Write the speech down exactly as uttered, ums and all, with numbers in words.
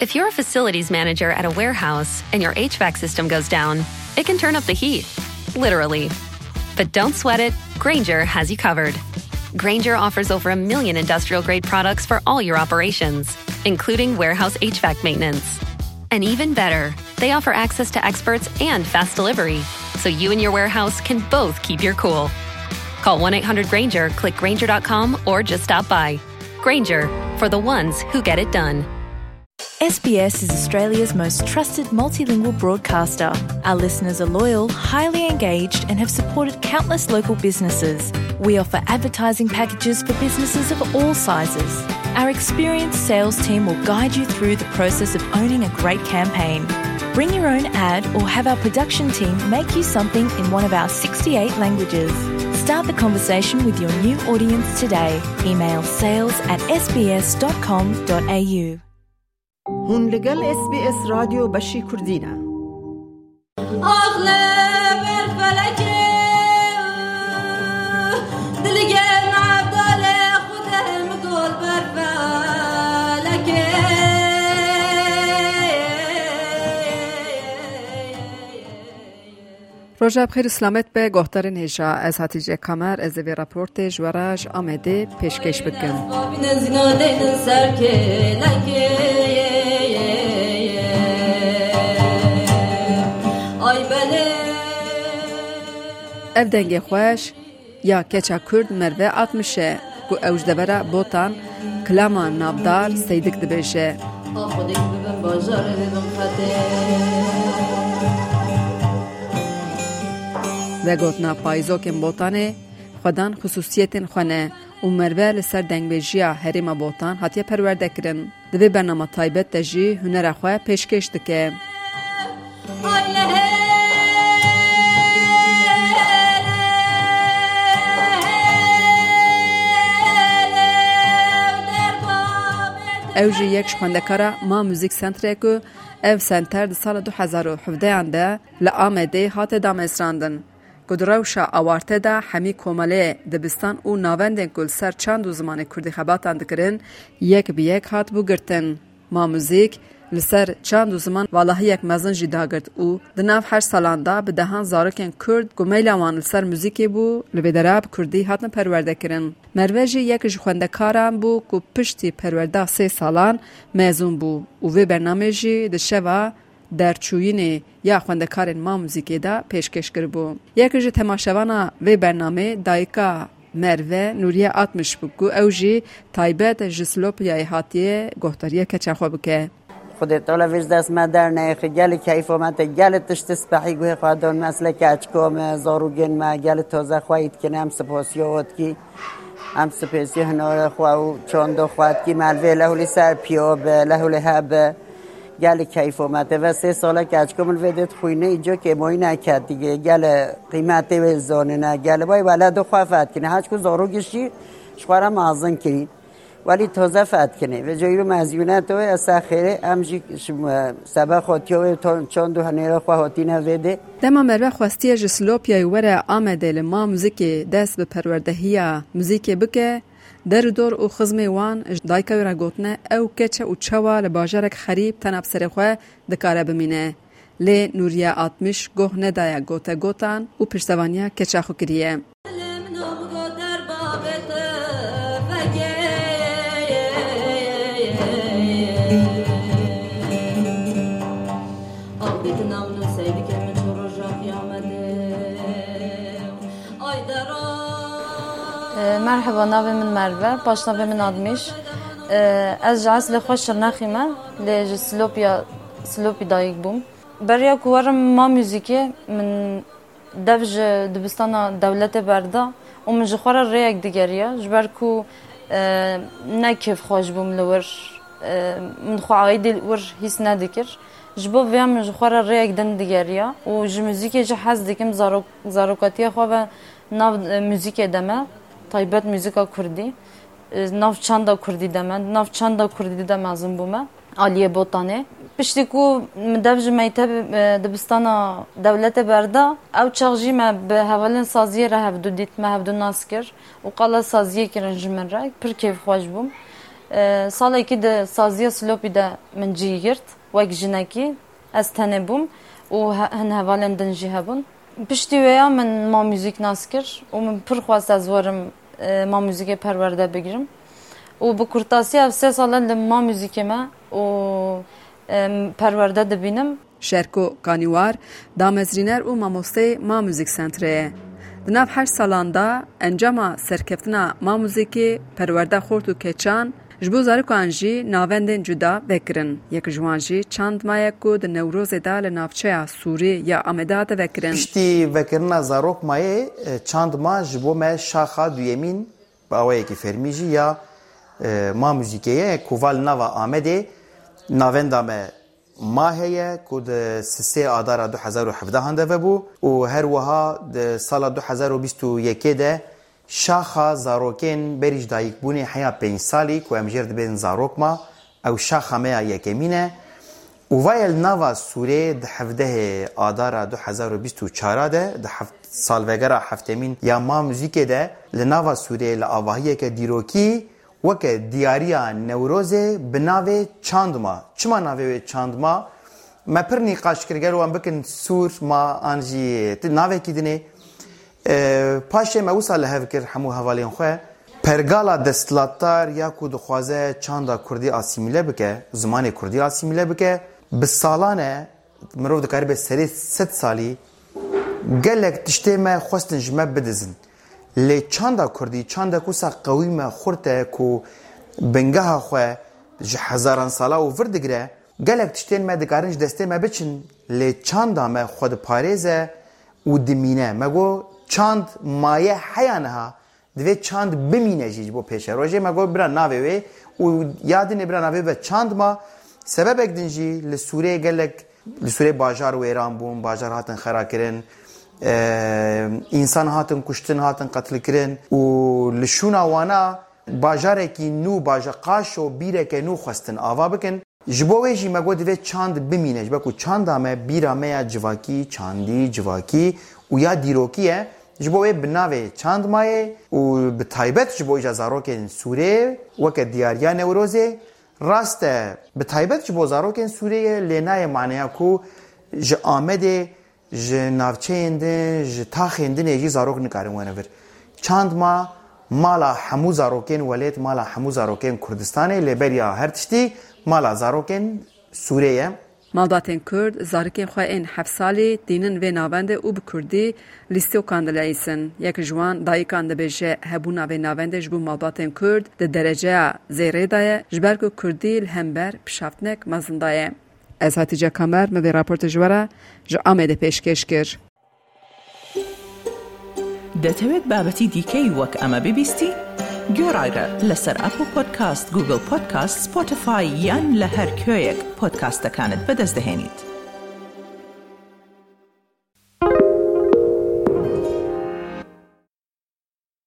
If you're a facilities manager at a warehouse and your H V A C system goes down, it can turn up the heat, literally. But don't sweat it, Grainger has you covered. Grainger offers over a million industrial grade products for all your operations, including warehouse H V A C maintenance. And even better, they offer access to experts and fast delivery, so you and your warehouse can both keep your cool. Call one eight hundred Grainger, click Grainger dot com, or just stop by. Grainger, for the ones who get it done. S B S is Australia's most trusted multilingual broadcaster. Our listeners are loyal, highly engaged, and have supported countless local businesses. We offer advertising packages for businesses of all sizes. Our experienced sales team will guide you through the process of owning a great campaign. Bring your own ad or have our production team make you something in one of our sixty-eight languages. Start the conversation with your new audience today. Email sales at S B S dot com dot A U. Hûn li gel S B S Radyo Beşî Kurdî ne. Ax li ber felekê, dilgê Evdalê Xwedê min got ber felekê. Roja bi xêr û selamet be, guhdarên hêja. Ez Hatice Kamer, ez ê vê raportê ji we re ji Amedê pêşkêş bikim. Ev dengê xweş ya keça Kurd Merve Atmiş e, ku ew ji devera Botan, kilama navdar Seydik dibêje. Vegotina payîzokên Botanê xwedan xisûsiyetên xwe ne û Merve li ser dengbêjiya herêma Botan hatiye perwerdekirin. Di vê bernama taybet de jî hunera xwe pêşkêş dike. Ew jî yek ji xwendekara Ma Muzik Centre ku ev center di sala du hezar û hevdehan de li Amedê hate damezrandin, ku di rewşa awarte de hemî komeleyê, dibistan û navendên ku li ser çand û zimanê kurdî xebatan dikirin, yek bi yek hatibû girtin. Ma Muzîk li ser çand û ziman valahiyek mezin jî dagirt û di nav heşt salan de bi dehan zarokên kurd ku meyla wan li ser muzîkê bû, li vê dera bi kurdî hatin perwerdekirin. Merve jî yek ji xwendekaran bû ku piştî perwerda sê salan mezûn bû û vê bernamê jî di şeva derçûyînê ya xwendekarên Ma Muzîkê de pêşkêş kiribû. Yek ji temaşevana vê bernamê dayika Merve Nûriye Atmiş bû ku ew jî taybet ji Silopiyayê hatiye guhdariya keça xwe bike. Xwedê Teala vê ji dest me derneyêxî, gelî keyfa me te, gelî tiştî spehî guhê xwe don me, eslê keçiko me, zarûgên me, gelî toze xweyî dikin, em sipasiya we dikî, em sipasiya hunara xwe û çanda xwe dikî, me li vê lehûlî ser piya be, lehûlî hebe. Gelî keyfa me te. Ve sê sale keçiko min vê dê dixwîne, îco kêmoyî neketî, gelê qîmetê wê zanine, gelê bay weledo xwe fethkine. Heçku zarokî jî ji xwe re mezin kirî. Welî toze fethkine. Ve coyî mezûne to, esa xêrê, em jî ji, e, sebe xotiya wê to-, çand û hunêra xwe hotîne vê dê. Dema Merve xwestiye ji Silopiyayê were Amedê li Ma Muzîkê dest bi perwerdehiya muzîkê bike, der û dor û xizmê wan ji dayika wê re gotine, ew keç e û çawa li bajarek xerîb tena bi serê xwe dikare bimîne. Lê Nûriye Atmiş goh nedaye gotegotan û piştevaniya keça xwe kiriye. E, merheba, navê min Merve, paşnavê min Atmiş. E, ez ji eslê xwe Şirnexî me, lê ji Silopiya, Silopî dayik bûm. Beriya ku werim Ma Muzîkê, min dev ji dibistana dewletê berda û min ji xwe re rêyek digeriya, ji ber ku, e, ne kêfxweş bûm li wir, e, min xwe aîdî wir hîs nedikir. Ji bo vêya min ji xwe re rêyek din digeriya û ji muzîkê jî hez dikim, zarok-, zarokatiya xwe ve nav, e, muzîkê de me, taybet muzîka kurdî, e, nav çanda kurdî de me, nav çanda kurdî de mezin bûme, aliyê Botanê. Piştî ku min dev ji mekteb, e, dibistana dewletê berda, ew çax jî me bi hevalên saziyê re hevdu dît, me hevdu nas kir û qala saziyê kirin ji min re. Pir kêfxweş bûm. E, salekî di saziya silopî de min cî girt, wek jinekî. Ez tenê bûm û he-, hin hevalên din jî hebûn. Piştî wêya min Ma Muzîk nas kir û min pir xwest ez werim, e, Ma Muzîkê perwerde bigirim. Û bi kurtasî ev sê sal e li Ma Muzîkê me û, e, perwerde dibînim. Şerko Kanîwar, damezrîner û mamosteyê Ma Muzîk Sentrê ye. Di nav heşt salan de encama serkeftina Ma Muzîkê, perwerda xort û keçan, ji bo zarokan jî navendên cuda vekirin. Yek ji wan jî Çandma ye ku di Newrozê de li navçeya Sûrê ya Amedê hate vekirin. Piştî vekirina Zarokmayê, e, Çandma ji bo me şaxa duyemîn, bi awayekî fermî jî ya, e, Ma Muzîkê ye, ku va li nava Amedê navenda me Ma heye, ku di sisê Adara du hezar û hevdehan de vebû û her wiha di sala du hezar û bîst û yekê de şaxa zarokên berî ji dayikbûnê heya pênc salî, ku em jêr dibên Zarokma, ew şaxa me ya yekemîn e. Û vaye li nava Sûrê di hevdehê Adara du hezar û bîst û çar de, di heft-, salvegera heftemîn ya Ma Muzîkê de, li nava Sûrê li avahiyeke dîrokî weke diyariya Newrozê bi navê Çandma. Çima navê wê Çandma? Me pir nîqaş kir, gelo em bikin Sûr ma an jî ti navekî dinê. E, paşê me wisa li hev kir hemû hevalên xwe. Pergala desthilatdar ya ku dixwaze çanda kurdî asîmîle bike, zimanê kurdî asîmîle bike, bi salan e, mirov dikaribe serê sed salî, gelek tiştê me xwestin ji me bidizin. Lê çanda kurdî, çandek wisa qewî me xurt e ku bingeha xwe ji hezaran sala û vir digire, gelek tiştên me dikarin ji destê me biçin, lê çanda me xwe diparêze û dimîne. Me got, çand maye heya niha, divê çand bimîne jî ji bo pêşerojê. Me got, bira navê wê û ya dinê bira navê be Çandma. Sebebek din jî li Sûrê gelek, li Sûrê bajar wêran bûn, bajar hatin xera kirin, e, însan hatin kuştin, hatin qetilkirin û li şûna wana bajarekî nû, baja-, Qaşo bîreke nû xwestin ava bikin. Ji bo wê jî me got divê çand bimîne, ji ber ku çanda me bîra me ya civakî, çandî, civakî û ya dîrokî ye. Ji bo wê bi navê Çandmayê û bi taybet ji bo îja zarokên Sûrê weke diyariya Newrozê, rast e, bi taybet ji bo zarokên Sûrê ye, lê nayê maneya ku ji Amedê, ji navçeyên din, ji taxên din ê jî zarok nikarin wene vir. Çandma mala hemû zarokên welêt, mala hemû zarokên Kurdistanê, lê beriya her tiştî mala zarokên Sûrê ye. Malbatên Kurd zarikên xwe ên heft salî tînin vê navendê û bi kurdî lîstokan dileyîsin. Yek ji wan dayikan dibêje, hebûna vê navendê ji bo malbatên Kurd di dereceya zêrê de ye, ji ber ku kurdî li hember pişaftinek mezin daye. Ez Hatîce Kamer, min vê raportê ji we re ji Amedê pêşkêş kir. دەتەوێت بابەتی دیکەی وەک ئەمە ببیستی؟ گوێڕایرە لەسەر ئەپڵ پۆدکاست، گوگڵ پۆدکاست، سپۆتیفای یان لە هەر کوێیەک پۆدکاستەکانت بەدەست دەهێنیت.